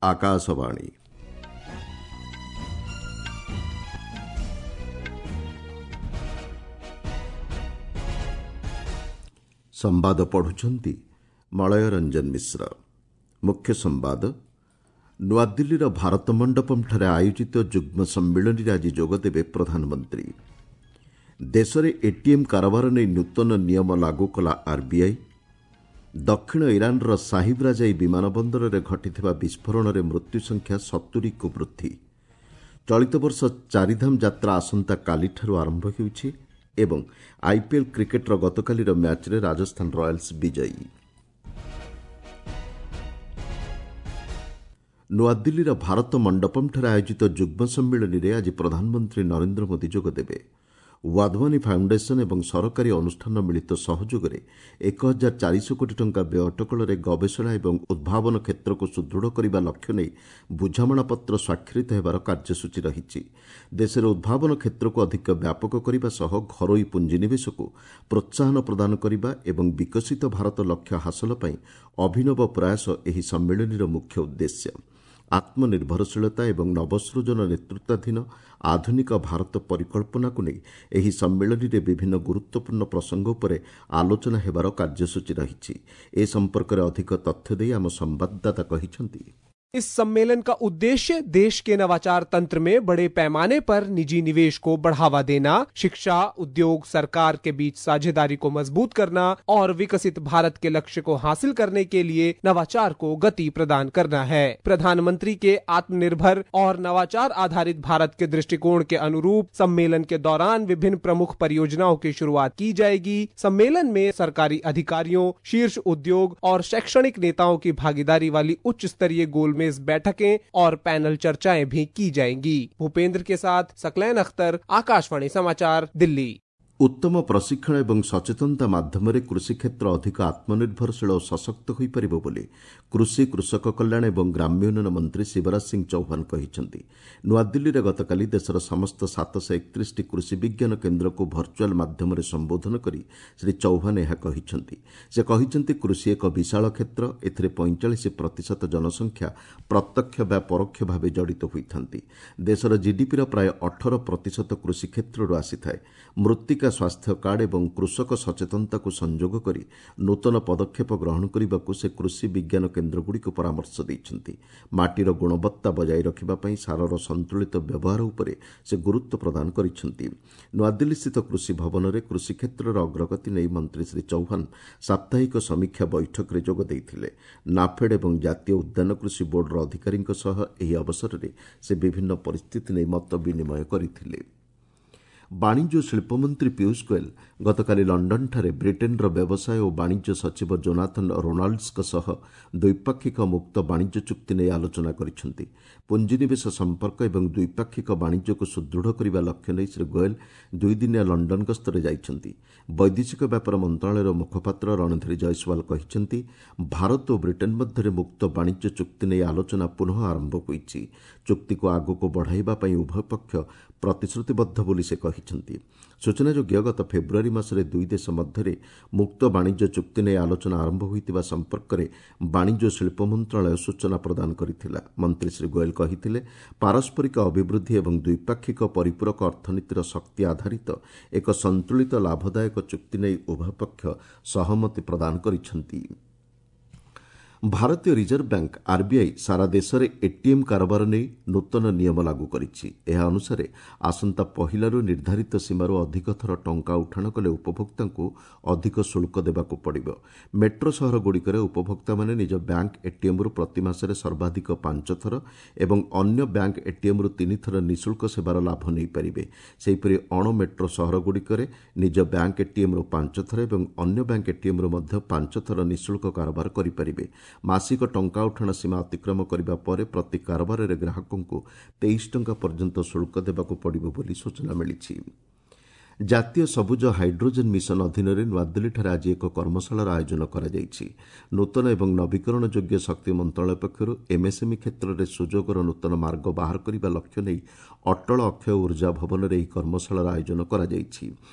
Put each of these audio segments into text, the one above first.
ଆକାଶବାଣୀ। ସମ୍ବାଦ ପଢୁଛନ୍ତି ମଳୟ ରଞ୍ଜନ ମିଶ୍ର। ମୁଖ୍ୟ ସମ୍ବାଦ। ନୂଆଦିଲ୍ଲୀର ଭାରତ ମଣ୍ଡପମ୍ଠାରେ ଆୟୋଜିତ ଯୁଗ୍ମ ସମ୍ମିଳନୀରେ ଆଜି ଯୋଗଦେବେ ପ୍ରଧାନମନ୍ତ୍ରୀ। ଦେଶରେ ଏଟିଏମ୍ କାରବାର ନେଇ ନୂତନ ନିୟମ ଲାଗୁ କଲା ଆର୍ବିଆଇ। ଦକ୍ଷିଣ ଇରାନ୍ର ସାହିବ୍ ରାଜାଇ ବିମାନ ବନ୍ଦରରେ ଘଟିଥିବା ବିସ୍ଫୋରଣରେ ମୃତ୍ୟୁ ସଂଖ୍ୟା 70କୁ ବୃଦ୍ଧି। ଚଳିତ ବର୍ଷ ଚାରିଧାମ ଯାତ୍ରା ଆସନ୍ତାକାଲିଠାରୁ ଆରମ୍ଭ ହେଉଛି ଏବଂ ଆଇପିଏଲ୍ କ୍ରିକେଟ୍ର ଗତକାଲିର ମ୍ୟାଚ୍ରେ ରାଜସ୍ଥାନ ରୟାଲ୍ସ ବିଜୟୀ। ନୂଆଦିଲ୍ଲୀର ଭାରତ ମଣ୍ଡପମ୍ଠାରେ ଆୟୋଜିତ ଯୁଗ୍ମ ସମ୍ମିଳନୀରେ ଆଜି ପ୍ରଧାନମନ୍ତ୍ରୀ ନରେନ୍ଦ୍ର ମୋଦି ଯୋଗଦେବେ। ୱାଧୱାନୀ ଫାଉଣ୍ଡେସନ୍ ଏବଂ ସରକାରୀ ଅନୁଷ୍ଠାନ ମିଳିତ ସହଯୋଗରେ 1400 କୋଟି ଟଙ୍କା ବ୍ୟୟ ଅଟକଳରେ ଗବେଷଣା ଏବଂ ଉଦ୍ଭାବନ କ୍ଷେତ୍ରକୁ ସୁଦୃଢ଼ କରିବା ଲକ୍ଷ୍ୟ ନେଇ ବୁଝାମଣାପତ୍ର ସ୍ୱାକ୍ଷରିତ ହେବାର କାର୍ଯ୍ୟସୂଚୀ ରହିଛି। ଦେଶରେ ଉଦ୍ଭାବନ କ୍ଷେତ୍ରକୁ ଅଧିକ ବ୍ୟାପକ କରିବା ସହ ଘରୋଇ ପୁଞ୍ଜିନିବେଶକୁ ପ୍ରୋତ୍ସାହନ ପ୍ରଦାନ କରିବା ଏବଂ ବିକଶିତ ଭାରତ ଲକ୍ଷ୍ୟ ହାସଲ ପାଇଁ ଅଭିନବ ପ୍ରୟାସ ଏହି ସମ୍ମିଳନୀର ମୁଖ୍ୟ ଉଦ୍ଦେଶ୍ୟ। ଆତ୍ମନିର୍ଭରଶୀଳତା ଏବଂ ନବସୃଜନ ନେତୃତ୍ୱାଧୀନ ଆଧୁନିକ ଭାରତ ପରିକଳ୍ପନାକୁ ନେଇ ଏହି ସମ୍ମିଳନୀରେ ବିଭିନ୍ନ ଗୁରୁତ୍ୱପୂର୍ଣ୍ଣ ପ୍ରସଙ୍ଗ ଉପରେ ଆଲୋଚନା ହେବାର କାର୍ଯ୍ୟସୂଚୀ ରହିଛି। ଏ ସମ୍ପର୍କରେ ଅଧିକ ତଥ୍ୟ ଦେଇ ଆମ ସମ୍ବାଦଦାତା କହିଛନ୍ତି, इस सम्मेलन का उद्देश्य देश के नवाचार तंत्र में बड़े पैमाने पर निजी निवेश को बढ़ावा देना, शिक्षा, उद्योग, सरकार के बीच साझेदारी को मजबूत करना और विकसित भारत के लक्ष्य को हासिल करने के लिए नवाचार को गति प्रदान करना है। प्रधानमंत्री के आत्मनिर्भर और नवाचार आधारित भारत के दृष्टिकोण के अनुरूप सम्मेलन के दौरान विभिन्न प्रमुख परियोजनाओं की शुरुआत की जाएगी। सम्मेलन में सरकारी अधिकारियों, शीर्ष उद्योग और शैक्षणिक नेताओं की भागीदारी वाली उच्च स्तरीय गोलमेज बैठकें और पैनल चर्चाएं भी की जाएंगी। भूपेंद्र के साथ सकलैन अख्तर, आकाशवाणी समाचार, दिल्ली। ଉତ୍ତମ ପ୍ରଶିକ୍ଷଣ ଏବଂ ସଚେତନତା ମାଧ୍ୟମରେ କୃଷି କ୍ଷେତ୍ର ଅଧିକ ଆତ୍ମନିର୍ଭରଶୀଳ ଓ ସଶକ୍ତ ହୋଇପାରିବ ବୋଲି କୃଷି, କୃଷକ କଲ୍ୟାଣ ଏବଂ ଗ୍ରାମ୍ୟ ଉନ୍ନୟନ ମନ୍ତ୍ରୀ ଶିବରାଜ ସିଂ ଚୌହାନ କହିଛନ୍ତି। ନୂଆଦିଲ୍ଲୀରେ ଗତକାଲି ଦେଶର ସମସ୍ତ 731ଟି କୃଷି ବିଜ୍ଞାନ କେନ୍ଦ୍ରକୁ ଭର୍ଚୁଆଲ୍ ମାଧ୍ୟମରେ ସମ୍ବୋଧନ କରି ଶ୍ରୀ ଚୌହାନ ଏହା କହିଛନ୍ତି। ସେ କହିଛନ୍ତି, କୃଷି ଏକ ବିଶାଳ କ୍ଷେତ୍ର। ଏଥିରେ 45% ଜନସଂଖ୍ୟା ପ୍ରତ୍ୟକ୍ଷ ବା ପରୋକ୍ଷ ଭାବେ ଜଡ଼ିତ ହୋଇଥାନ୍ତି। ଦେଶର ଜିଡିପିର ପ୍ରାୟ 18% କୃଷି କ୍ଷେତ୍ରରୁ ଆସିଥାଏ। ମୃତ୍ତିକା ସ୍ୱାସ୍ଥ୍ୟ କାର୍ଡ ଏବଂ କୃଷକ ସଚେତନତାକୁ ସଂଯୋଗ କରି ନୂତନ ପଦକ୍ଷେପ ଗ୍ରହଣ କରିବାକୁ ସେ କୃଷି ବିଜ୍ଞାନ କେନ୍ଦ୍ରଗୁଡ଼ିକୁ ପରାମର୍ଶ ଦେଇଛନ୍ତି। ମାଟିର ଗୁଣବତ୍ତା ବଜାୟ ରଖିବା ପାଇଁ ସାରର ସନ୍ତୁଳିତ ବ୍ୟବହାର ଉପରେ ସେ ଗୁରୁତ୍ୱ ପ୍ରଦାନ କରିଛନ୍ତି। ନୂଆଦିଲ୍ଲୀସ୍ଥିତ କୃଷି ଭବନରେ କୃଷି କ୍ଷେତ୍ରର ଅଗ୍ରଗତି ନେଇ ମନ୍ତ୍ରୀ ଶ୍ରୀ ଚୌହାନ ସାପ୍ତାହିକ ସମୀକ୍ଷା ବୈଠକରେ ଯୋଗ ଦେଇଥିଲେ। ନାଫେଡ୍ ଏବଂ ଜାତୀୟ ଉଦ୍ୟାନ କୃଷି ବୋର୍ଡର ଅଧିକାରୀଙ୍କ ସହ ଏହି ଅବସରରେ ସେ ବିଭିନ୍ନ ପରିସ୍ଥିତି ନେଇ ମତ ବିନିମୟ କରିଥିଲେ। ବାଣିଜ୍ୟ ଓ ଶିଳ୍ପମନ୍ତ୍ରୀ ପୀୟୁଷ ଗୋଏଲ ଗତକାଲି ଲଣ୍ଡନଠାରେ ବ୍ରିଟେନ୍ର ବ୍ୟବସାୟ ଓ ବାଣିଜ୍ୟ ସଚିବ ଜୋନାଥନ୍ ରୋନାଲ୍ଡସଙ୍କ ସହ ଦ୍ୱିପାକ୍ଷିକ ମୁକ୍ତ ବାଣିଜ୍ୟ ଚୁକ୍ତି ନେଇ ଆଲୋଚନା କରିଛନ୍ତି। ପୁଞ୍ଜିନିବେଶ ସମ୍ପର୍କ ଏବଂ ଦ୍ୱିପାକ୍ଷିକ ବାଣିଜ୍ୟକୁ ସୁଦୃଢ଼ କରିବା ଲକ୍ଷ୍ୟ ନେଇ ଶ୍ରୀ ଗୋଏଲ ଦୁଇଦିନିଆ ଲଣ୍ଡନ ଗସ୍ତରେ ଯାଇଛନ୍ତି। ବୈଦେଶିକ ବ୍ୟାପାର ମନ୍ତ୍ରଣାଳୟର ମୁଖପାତ୍ର ରଣଧୀର ଜୟସ୍ୱାଲ କହିଛନ୍ତି, ଭାରତ ଓ ବ୍ରିଟେନ୍ ମଧ୍ୟରେ ମୁକ୍ତ ବାଣିଜ୍ୟ ଚୁକ୍ତି ନେଇ ଆଲୋଚନା ପୁନଃ ଆରମ୍ଭ ହୋଇଛି। ଚୁକ୍ତିକୁ ଆଗକୁ ବଢ଼ାଇବା ପାଇଁ ଉଭୟ ପକ୍ଷ ପ୍ରତିଶ୍ରୁତିବଦ୍ଧ ବୋଲି ସେ କହିଛନ୍ତି। ସୂଚନାଯୋଗ୍ୟ, ଗତ ଫେବୃଆରୀ ମାସରେ ଦୁଇ ଦେଶ ମଧ୍ୟରେ ମୁକ୍ତ ବାଣିଜ୍ୟ ଚୁକ୍ତି ନେଇ ଆଲୋଚନା ଆରମ୍ଭ ହୋଇଥିବା ସମ୍ପର୍କରେ ବାଣିଜ୍ୟ ଓ ଶିଳ୍ପ ମନ୍ତ୍ରଣାଳୟ ସୂଚନା ପ୍ରଦାନ କରିଥିଲା। ମନ୍ତ୍ରୀ ଶ୍ରୀ ଗୋଏଲ କହିଥିଲେ, ପାରସ୍ପରିକ ଅଭିବୃଦ୍ଧି ଏବଂ ଦ୍ୱିପାକ୍ଷିକ ପରିପୂରକ ଅର୍ଥନୀତିର ଶକ୍ତି ଆଧାରିତ ଏକ ସନ୍ତୁଳିତ ଲାଭଦାୟକ ଚୁକ୍ତି ନେଇ ଉଭୟ ପକ୍ଷ ସହମତି ପ୍ରଦାନ କରିଛନ୍ତି। ଭାରତୀୟ ରିଜର୍ଭ ବ୍ୟାଙ୍କ ଆର୍ବିଆଇ ସାରା ଦେଶରେ ଏଟିଏମ୍ କାରବାର ନେଇ ନୂତନ ନିୟମ ଲାଗୁ କରିଛି। ଏହା ଅନୁସାରେ ଆସନ୍ତା ପହିଲାରୁ ନିର୍ଦ୍ଧାରିତ ସୀମାରୁ ଅଧିକ ଥର ଟଙ୍କା ଉଠାଣ କଲେ ଉପଭୋକ୍ତାଙ୍କୁ ଅଧିକ ଶୁଳ୍କ ଦେବାକୁ ପଡ଼ିବ। ମେଟ୍ରୋ ସହରଗୁଡ଼ିକରେ ଉପଭୋକ୍ତାମାନେ ନିଜ ବ୍ୟାଙ୍କ ଏଟିଏମ୍ରୁ ପ୍ରତି ମାସରେ ସର୍ବାଧିକ 5 ଥର ଏବଂ ଅନ୍ୟ ବ୍ୟାଙ୍କ ଏଟିଏମ୍ରୁ 3 ଥର ନିଃଶୁଳ୍କ ସେବାର ଲାଭ ନେଇପାରିବେ। ସେହିପରି ଅଣ ମେଟ୍ରୋ ସହରଗୁଡ଼ିକରେ ନିଜ ବ୍ୟାଙ୍କ ଏଟିଏମ୍ରୁ 5 ଥର ଏବଂ ଅନ୍ୟ ବ୍ୟାଙ୍କ ଏଟିଏମ୍ରୁ ମଧ୍ୟ 5 ଥର ନିଃଶୁଳ୍କ କାରବାର କରିପାରିବେ। ମାସିକ ଟଙ୍କା ଉଠାଣ ସୀମା ଅତିକ୍ରମ କରିବା ପରେ ପ୍ରତି କାରବାରରେ ଗ୍ରାହକଙ୍କୁ 23 ଟଙ୍କା ପର୍ଯ୍ୟନ୍ତ ଶୁଳ୍କ ଦେବାକୁ ପଡ଼ିବ ବୋଲି ସୂଚନା ମିଳିଛି। ଜାତୀୟ ସବୁଜ ହାଇଡ୍ରୋଜେନ୍ ମିଶନ ଅଧୀନରେ ନୂଆଦିଲ୍ଲୀଠାରେ ଆଜି ଏକ କର୍ମଶାଳାର ଆୟୋଜନ କରାଯାଇଛି। ନୂତନ ଏବଂ ନବୀକରଣ ଯୋଗ୍ୟ ଶକ୍ତି ମନ୍ତ୍ରଣାଳୟ ପକ୍ଷରୁ ଏମ୍ଏସ୍ଏମ୍ଇ କ୍ଷେତ୍ରରେ ସୁଯୋଗର ନୂତନ ମାର୍ଗ ବାହାର କରିବା ଲକ୍ଷ୍ୟ ନେଇ ଅଟଳ ଅକ୍ଷୟ ଉର୍ଜା ଭବନରେ ଏହି କର୍ମଶାଳାର ଆୟୋଜନ କରାଯାଇଛି।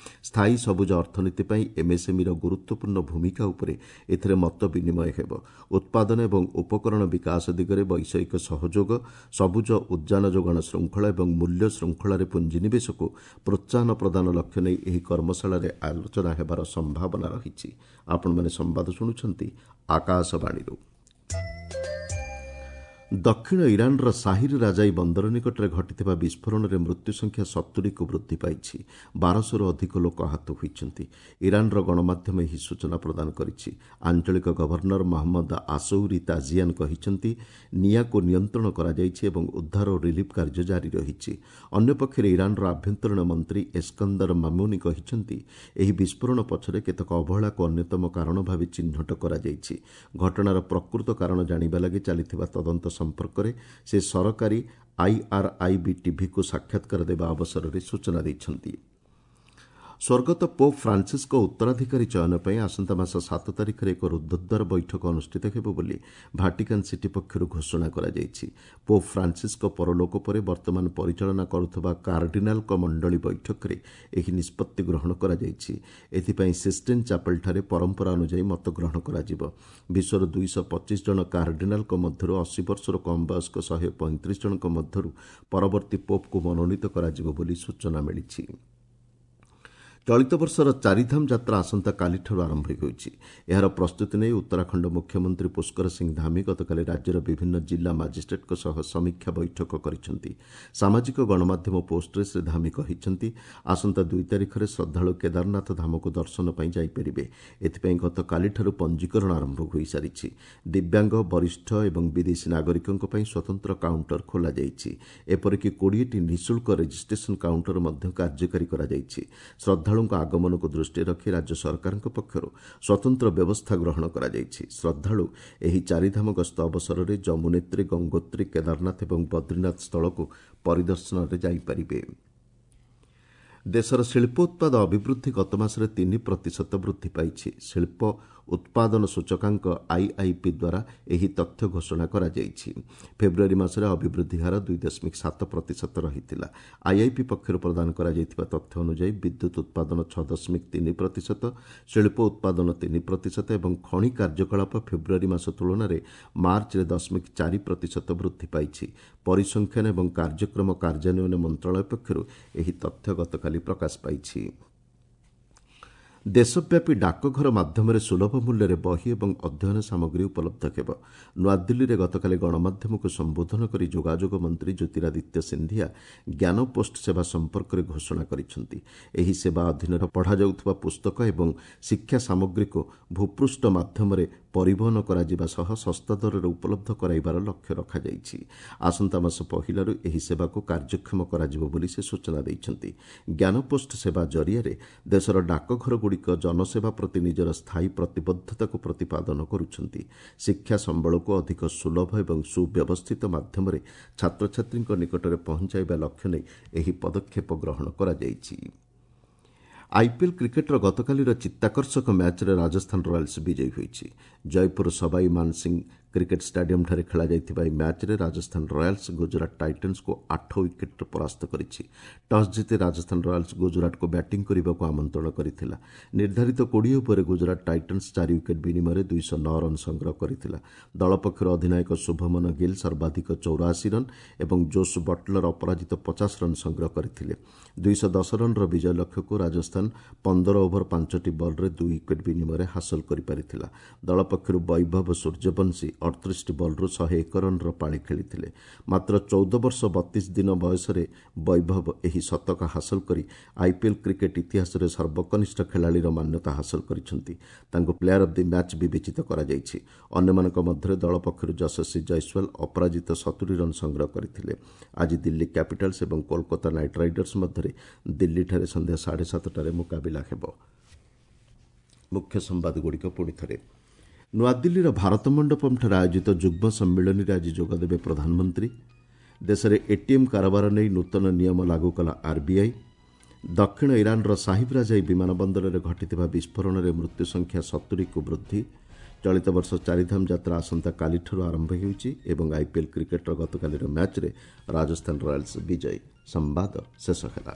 ସ୍ଥାୟୀ ସବୁଜ ଅର୍ଥନୀତି ପାଇଁ ଏମ୍ଏସ୍ଏମ୍ଇର ଗୁରୁତ୍ୱପୂର୍ଣ୍ଣ ଭୂମିକା ଉପରେ ଏଥିରେ ମତ ବିନିମୟ ହେବ। ଉତ୍ପାଦନ ଏବଂ ଉପକରଣ ବିକାଶ ଦିଗରେ ବୈଷୟିକ ସହଯୋଗ, ସବୁଜ ଉଦ୍ଜାନ ଯୋଗାଣ ଶୃଙ୍ଖଳା ଏବଂ ମୂଲ୍ୟ ଶୃଙ୍ଖଳାରେ ପୁଞ୍ଜିନିବେଶକୁ ପ୍ରୋତ୍ସାହନ ପ୍ରଦାନ ଲକ୍ଷ୍ୟ ନେଇ ଏହି କର୍ମଶାଳାରେ ଆଲୋଚନା ହେବାର ସମ୍ଭାବନା ରହିଛି। ଆପଣମାନେ ସମ୍ବାଦ ଶୁଣୁଛନ୍ତି ଆକାଶବାଣୀରୁ। ଦକ୍ଷିଣ ଇରାନର ସାହିର ରାଜାଇ ବନ୍ଦର ନିକଟରେ ଘଟିଥିବା ବିସ୍ଫୋରଣରେ ମୃତ୍ୟୁ ସଂଖ୍ୟା 70କୁ ବୃଦ୍ଧି ପାଇଛି। 1200ରୁ ଅଧିକ ଲୋକ ଆହତ ହୋଇଛନ୍ତି। ଇରାନର ଗଣମାଧ୍ୟମ ଏହି ସୂଚନା ପ୍ରଦାନ କରିଛି। ଆଞ୍ଚଳିକ ଗଭର୍ଣ୍ଣର ମହମ୍ମଦ ଆସୌରୀ ତାଜିଆନ କହିଛନ୍ତି, ନିଆଁକୁ ନିୟନ୍ତ୍ରଣ କରାଯାଇଛି ଏବଂ ଉଦ୍ଧାର ଓ ରିଲିଫ୍ କାର୍ଯ୍ୟ ଜାରି ରହିଛି। ଅନ୍ୟପକ୍ଷରେ ଇରାନର ଆଭ୍ୟନ୍ତରୀଣ ମନ୍ତ୍ରୀ ଏସ୍କନ୍ଦର ମାମୁନି କହିଛନ୍ତି, ଏହି ବିସ୍ଫୋରଣ ପଛରେ କେତେକ ଅବହେଳାକୁ ଅନ୍ୟତମ କାରଣ ଭାବେ ଚିହ୍ନଟ କରାଯାଇଛି। ଘଟଣାର ପ୍ରକୃତ କାରଣ ଜାଣିବା ଲାଗି ଚାଲିଥିବା ତଦନ୍ତ ସମ୍ପର୍କରେ ସେ ସରକାରୀ ଆଇଆର୍ଆଇବି ଟିଭିକୁ ସାକ୍ଷାତକାର ଦେବା ଅବସରରେ ସୂଚନା ଦେଇଛନ୍ତି। ସ୍ୱର୍ଗତ ପୋପ୍ ଫ୍ରାନ୍ସିସ୍ଙ୍କ ଉତ୍ତରାଧିକାରୀ ଚୟନ ପାଇଁ ଆସନ୍ତା ମାସ 7 ତାରିଖରେ ଏକ ରୁଦ୍ଧଦ୍ୱାର ବୈଠକ ଅନୁଷ୍ଠିତ ହେବ ବୋଲି ଭାଟିକାନ୍ ସିଟି ପକ୍ଷରୁ ଘୋଷଣା କରାଯାଇଛି। ପୋପ୍ ଫ୍ରାନ୍ସିସ୍ଙ୍କ ପରଲୋକ ପରେ ବର୍ତ୍ତମାନ ପରିଚାଳନା କରୁଥିବା କାର୍ଡିନାଲଙ୍କ ମଣ୍ଡଳୀ ବୈଠକରେ ଏହି ନିଷ୍ପତ୍ତି ଗ୍ରହଣ କରାଯାଇଛି। ଏଥିପାଇଁ ସିଷ୍ଟିନ୍ ଚାପେଲ୍ଠାରେ ପରମ୍ପରା ଅନୁଯାୟୀ ମତ ଗ୍ରହଣ କରାଯିବ। ବିଶ୍ୱର 225 ଜଣ କାର୍ଡିନାଲଙ୍କ ମଧ୍ୟରୁ 80 ବର୍ଷରୁ କମ୍ ବୟସ୍କ 135 ଜଣଙ୍କ ମଧ୍ୟରୁ ପରବର୍ତ୍ତୀ ପୋପ୍କୁ ମନୋନୀତ କରାଯିବ ବୋଲି ସୂଚନା ମିଳିଛି। ଚଳିତ ବର୍ଷର ଚାରିଧାମ ଯାତ୍ରା ଆସନ୍ତାକାଲିଠାରୁ ଆରମ୍ଭ ହେଉଛି। ଏହାର ପ୍ରସ୍ତୁତି ନେଇ ଉତ୍ତରାଖଣ୍ଡ ମୁଖ୍ୟମନ୍ତ୍ରୀ ପୁଷ୍କର ସିଂ ଧାମି ଗତକାଲି ରାଜ୍ୟର ବିଭିନ୍ନ ଜିଲ୍ଲା ମାଜିଷ୍ଟ୍ରେଟ୍ଙ୍କ ସହ ସମୀକ୍ଷା ବୈଠକ କରିଛନ୍ତି। ସାମାଜିକ ଗଣମାଧ୍ୟମ ପୋଷ୍ଟରେ ଶ୍ରୀ ଧାମି କହିଛନ୍ତି, ଆସନ୍ତା 2 ତାରିଖରେ ଶ୍ରଦ୍ଧାଳୁ କେଦାରନାଥ ଧାମକୁ ଦର୍ଶନ ପାଇଁ ଯାଇପାରିବେ। ଏଥିପାଇଁ ଗତକାଲିଠାରୁ ପଞ୍ଜୀକରଣ ଆରମ୍ଭ ହୋଇସାରିଛି। ଦିବ୍ୟାଙ୍ଗ, ବରିଷ୍ଠ ଏବଂ ବିଦେଶୀ ନାଗରିକଙ୍କ ପାଇଁ ସ୍ୱତନ୍ତ୍ର କାଉଣ୍ଟର ଖୋଲାଯାଇଛି। ଏପରିକି 20ଟି ନିଃଶୁଳ୍କ ରେଜିଷ୍ଟ୍ରେସନ କାଉଣ୍ଟର ମଧ୍ୟ କାର୍ଯ୍ୟକାରୀ କରାଯାଇଛି। ଶ୍ରଦ୍ଧାଳୁଙ୍କ ଆଗମନକୁ ଦୃଷ୍ଟିରେ ରଖି ରାଜ୍ୟ ସରକାରଙ୍କ ପକ୍ଷରୁ ସ୍ୱତନ୍ତ୍ର ବ୍ୟବସ୍ଥା ଗ୍ରହଣ କରାଯାଇଛି। ଶ୍ରଦ୍ଧାଳୁ ଏହି ଚାରିଧାମ ଗସ୍ତ ଅବସରରେ ଯମୁନେତ୍ରୀ, ଗଙ୍ଗୋତ୍ରୀ, କେଦାରନାଥ ଏବଂ ବଦ୍ରୀନାଥ ସ୍ଥଳକୁ ପରିଦର୍ଶନରେ ଯାଇପାରିବେ। ଦେଶର ଶିଳ୍ପୋତ୍ପାଦ ଅଭିବୃଦ୍ଧି ଗତମାସରେ 3% ବୃଦ୍ଧି ପାଇଛି। ଶିଳ୍ପ ଉତ୍ପାଦନ ସୂଚକାଙ୍କ ଆଇଆଇପି ଦ୍ୱାରା ଏହି ତଥ୍ୟ ଘୋଷଣା କରାଯାଇଛି। ଫେବୃଆରୀ ମାସରେ ଅଭିବୃଦ୍ଧି ହାର 2.7% ରହିଥିଲା। ଆଇଆଇପି ପକ୍ଷରୁ ପ୍ରଦାନ କରାଯାଇଥିବା ତଥ୍ୟ ଅନୁଯାୟୀ ବିଦ୍ୟୁତ୍ ଉତ୍ପାଦନ 6.3%, ଶିଳ୍ପ ଉତ୍ପାଦନ 3% ଏବଂ ଖଣି କାର୍ଯ୍ୟକଳାପ ଫେବୃଆରୀ ମାସ ତୁଳନାରେ ମାର୍ଚ୍ଚରେ 0.4% ବୃଦ୍ଧି ପାଇଛି। ପରିସଂଖ୍ୟାନ ଏବଂ କାର୍ଯ୍ୟକ୍ରମ କାର୍ଯ୍ୟାନ୍ୱୟନ ମନ୍ତ୍ରଣାଳୟ ପକ୍ଷରୁ ଏହି ତଥ୍ୟ ଗତକାଲି ପ୍ରକାଶ ପାଇଛି। ଦେଶବ୍ୟାପୀ ଡାକଘର ମାଧ୍ୟମରେ ସୁଲଭ ମୂଲ୍ୟରେ ବହି ଏବଂ ଅଧ୍ୟୟନ ସାମଗ୍ରୀ ଉପଲବ୍ଧ ହେବ। ନୂଆଦିଲ୍ଲୀରେ ଗତକାଲି ଗଣମାଧ୍ୟମକୁ ସମ୍ବୋଧନ କରି ଯୋଗାଯୋଗ ମନ୍ତ୍ରୀ ଜ୍ୟୋତିରାଦିତ୍ୟ ସିନ୍ଧିଆ ଜ୍ଞାନ ପୋଷ୍ଟ ସେବା ସମ୍ପର୍କରେ ଘୋଷଣା କରିଛନ୍ତି। ଏହି ସେବା ଅଧୀନରେ ପଢ଼ାଯାଉଥିବା ପୁସ୍ତକ ଏବଂ ଶିକ୍ଷା ସାମଗ୍ରୀକୁ ଭୂପୃଷ୍ଠ ମାଧ୍ୟମରେ ପରିବହନ କରାଯିବା ସହ ଶସ୍ତା ଦରରେ ଉପଲବ୍ଧ କରାଇବାର ଲକ୍ଷ୍ୟ ରଖାଯାଇଛି। ଆସନ୍ତା ମାସ ପହିଲାରୁ ଏହି ସେବାକୁ କାର୍ଯ୍ୟକ୍ଷମ କରାଯିବ ବୋଲି ସେ ସୂଚନା ଦେଇଛନ୍ତି। ଜ୍ଞାନପୋଷ୍ଟ ସେବା ଜରିଆରେ ଦେଶର ଡାକଘରଗୁଡ଼ିକ ଜନସେବା ପ୍ରତି ନିଜର ସ୍ଥାୟୀ ପ୍ରତିବଦ୍ଧତାକୁ ପ୍ରତିପାଦନ କରୁଛନ୍ତି। ଶିକ୍ଷା ସମ୍ବଳକୁ ଅଧିକ ସୁଲଭ ଏବଂ ସୁବ୍ୟବସ୍ଥିତ ମାଧ୍ୟମରେ ଛାତ୍ରଛାତ୍ରୀଙ୍କ ନିକଟରେ ପହଞ୍ଚାଇବା ଲକ୍ଷ୍ୟ ନେଇ ଏହି ପଦକ୍ଷେପ ଗ୍ରହଣ କରାଯାଇଛି। ଆଇପିଏଲ୍ କ୍ରିକେଟ୍ର ଗତକାଲିର ଚିତ୍ତାକର୍ଷକ ମ୍ୟାଚ୍ରେ ରାଜସ୍ଥାନ ରୟାଲ୍ସ ବିଜୟୀ ହୋଇଛି। ଜୟପୁର ସବାଇ ମାନସିଂ କ୍ରିକେଟ୍ ଷ୍ଟାଡିୟମ୍ଠାରେ ଖେଳାଯାଇଥିବା ଏହି ମ୍ୟାଚ୍ରେ ରାଜସ୍ଥାନ ରୟାଲ୍ସ ଗୁଜରାଟ ଟାଇଟନ୍ସକୁ 8 ୱିକେଟ୍ରେ ପରାସ୍ତ କରିଛି। ଟସ୍ ଜିତି ରାଜସ୍ଥାନ ରୟାଲ୍ସ ଗୁଜରାଟକୁ ବ୍ୟାଟିଂ କରିବାକୁ ଆମନ୍ତ୍ରଣ କରିଥିଲା। ନିର୍ଦ୍ଧାରିତ 20 ଓଭରରେ ଗୁଜରାଟ ଟାଇଟନ୍ସ 4 ୱିକେଟ୍ ବିନିମୟରେ 209 ରନ୍ ସଂଗ୍ରହ କରିଥିଲା। ଦଳ ପକ୍ଷରୁ ଅଧିନାୟକ ଶୁଭମନ ଗିଲ୍ ସର୍ବାଧିକ 84 ରନ୍ ଏବଂ ଜୋସ୍ ବଟଲର ଅପରାଜିତ 50 ରନ୍ ସଂଗ୍ରହ କରିଥିଲେ। 210 ରନ୍ର ବିଜୟ ଲକ୍ଷ୍ୟକୁ ରାଜସ୍ଥାନ 15 ଓଭର 5ଟି ବଲ୍ରେ 2 ୱିକେଟ୍ ବିନିମୟରେ ହାସଲ କରିପାରିଥିଲା। ଦଳ ପକ୍ଷରୁ ବୈଭବ ସୂର୍ଯ୍ୟବଂଶୀ 38ଟି ବଲ୍ରୁ 101 ରନ୍ର ପାଳି ଖେଳିଥିଲେ। ମାତ୍ର 14 ବର୍ଷ 32 ଦିନ ବୟସରେ ବୈଭବ ଏହି ଶତକ ହାସଲ କରି ଆଇପିଏଲ୍ କ୍ରିକେଟ୍ ଇତିହାସରେ ସର୍ବକନିଷ୍ଠ ଖେଳାଳିର ମାନ୍ୟତା ହାସଲ କରିଛନ୍ତି। ତାଙ୍କୁ ପ୍ଲେୟାର ଅଫ୍ the match ବିବେଚିତ କରାଯାଇଛି। ଅନ୍ୟମାନଙ୍କ ମଧ୍ୟରେ ଦଳ ପକ୍ଷରୁ ଯଶସ୍ୱୀ ଜୟସ୍ୱାଲ ଅପରାଜିତ 70 ରନ୍ ସଂଗ୍ରହ କରିଥିଲେ। ଆଜି ଦିଲ୍ଲୀ କ୍ୟାପିଟାଲ୍ସ ଏବଂ କୋଲକାତା ନାଇଟ୍ ରାଇଡର୍ସ ମଧ୍ୟରେ ଦିଲ୍ଲୀଠାରେ ସନ୍ଧ୍ୟା 7:30ରେ ମୁକାବିଲା ହେବ। ମୁଖ୍ୟ ସମ୍ବାଦଗୁଡ଼ିକ ପୁଣି ଥରେ। ନୂଆଦିଲ୍ଲୀର ଭାରତ ମଣ୍ଡପମ୍ଠାରେ ଆୟୋଜିତ ଯୁଗ୍ମ ସମ୍ମିଳନୀରେ ଆଜି ଯୋଗଦେବେ ପ୍ରଧାନମନ୍ତ୍ରୀ। ଦେଶରେ ଏଟିଏମ୍ କାରବାର ନେଇ ନୂତନ ନିୟମ ଲାଗୁ କଲା ଆର୍ବିଆଇ। ଦକ୍ଷିଣ ଇରାନର ସାହିବରାଜାଇ ବିମାନ ବନ୍ଦରରେ ଘଟିଥିବା ବିସ୍ଫୋରଣରେ ମୃତ୍ୟୁ ସଂଖ୍ୟା 70କୁ ବୃଦ୍ଧି। ଚଳିତ ବର୍ଷ ଚାରିଧାମ ଯାତ୍ରା ଆସନ୍ତାକାଲିଠାରୁ ଆରମ୍ଭ ହେଉଛି ଏବଂ ଆଇପିଏଲ୍ କ୍ରିକେଟ୍ର ଗତକାଲିର ମ୍ୟାଚ୍ରେ ରାଜସ୍ଥାନ ରୟାଲ୍ସ ବିଜୟୀ। ସମ୍ବାଦ ଶେଷ ହେଲା।